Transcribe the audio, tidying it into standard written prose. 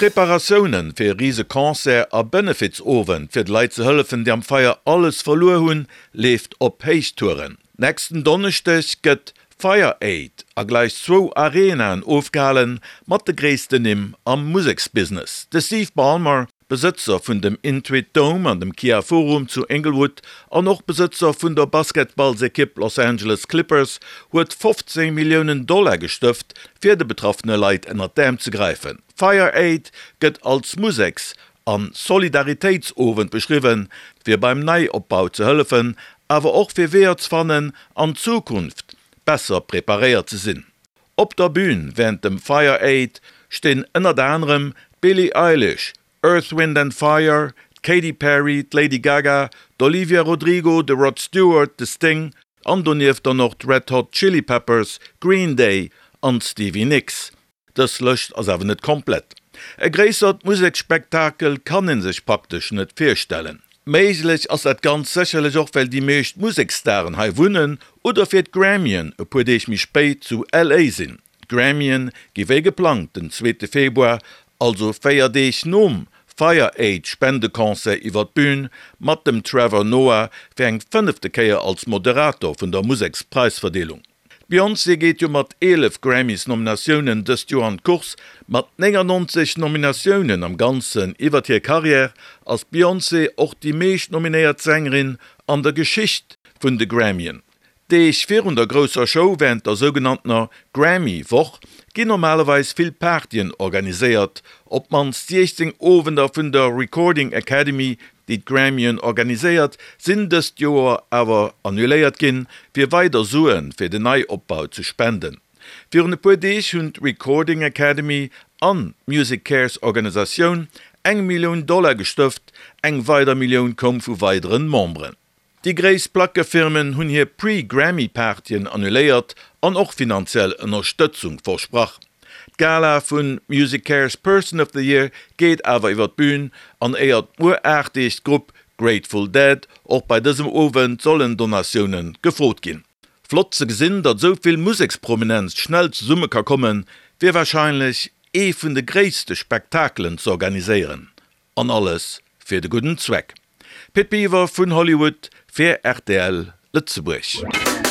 D'Preparatioune fir e rise Concert a Benefizowend fir de Leit ze hëllefen, déi am Feier alles verluer hunn, leeft op Héichtouren. Nächsten Donneschdeg gëtt Fire Aid a gläich zwou Arenaen ofgehalen, mat de gréissten Nimm am Museksbusiness. De Steve Ballmer, Besëtzer vun dem Intuit Dome an dem Kia Forum zu Inglewood an och Besëtzer vun der Basketballsekipp Los Angeles Clippers, huet 15 Milliounen Dollar gestëft, fir de betraffene Leit ënnert d'Äerm ze gräifen. Fire Aid gëtt als Museks an Solidaritéitsowend beschriwwen, fir beim Neiopbau ze hëllefen, awer och fir Weeër ze fannen, an Zukunft besser preparéiert ze sinn. Op der Bün wärend dem Fire Aid stinn ënnert anerem d'Billie Eilish, Earth, Wind and Fire, d'Katy Perry, d'Lady Gaga, d'Olivia Rodrigo, de Rod Stewart, de Sting an donieft dann och d'Red Hot Chili Peppers, Green Day an d'Stevie Nicks. Dës Lëscht ass awer net komplett. E gréissert Museksspektakel kann ee sech praktesch net virstellen. Méiglech ass dat Ganzt sécherlech och well déi meescht Museksstaren hei wunnen oder fir d'Grammyen e puer Deeg méi spéit zu LA sinn. D'Grammyen gi wéi geplangt den zweete Februar, also 4 Deeg nom Fire Aid Spendeconcert iwwer d'Bün, mat dem Trevor Noah fir eng fënnefte Kéier als Moderator vun der Musekspräisverdeelung. D'Beyoncé geet jo mat 11 Grammys-Nominatiounen dëst Joer an d'Course. Mat 99 Nominatiounen am Ganzen iwwert hir Karriär ass d'Beyoncé och déi meescht nominéiert Sängerin an der Geschicht vun de Grammyen. Deeg virun der grousser Show wärend der sougenanntener Grammy-Woch ginn normalerweis vill Partyen organiséiert. Op d'mannst 16 Owender vun der Recording Academy déi d'Grammyen organiséiert, sinn dëst Joer awer annuléiert ginn, fir weider Sue fir den Neiopbau ze spenden. Virun e puer Deeg hunn d'Recording Academy an d'MusiCares Organisatioun eng Millioun Dollar gestëft, eng weider Millioun koum vu weideren Memberen. Déi gréisst Plackefirmen hunn hir Pre-Grammy-Partyen annuléiert an och finanziell Ënnerstëtzung versprach. D'Gala vu MusiCares Person of the Year geet awer iwwer d'Bün an éiert muer 8 Deeg d'Grupp Grateful Dead. Och bei dësem Owend sollen Donatioune gefrot ginn. Flott ze gesinn, datt esou vill Museksprominenz schnell zesumme ka kommen, fir warscheinlech ee vun de gréisste Spektakelen z'organiséieren. An alles fir de gudden Zweck. Pit Biwer vun Hollywood fir rtl Lëtzebuerg.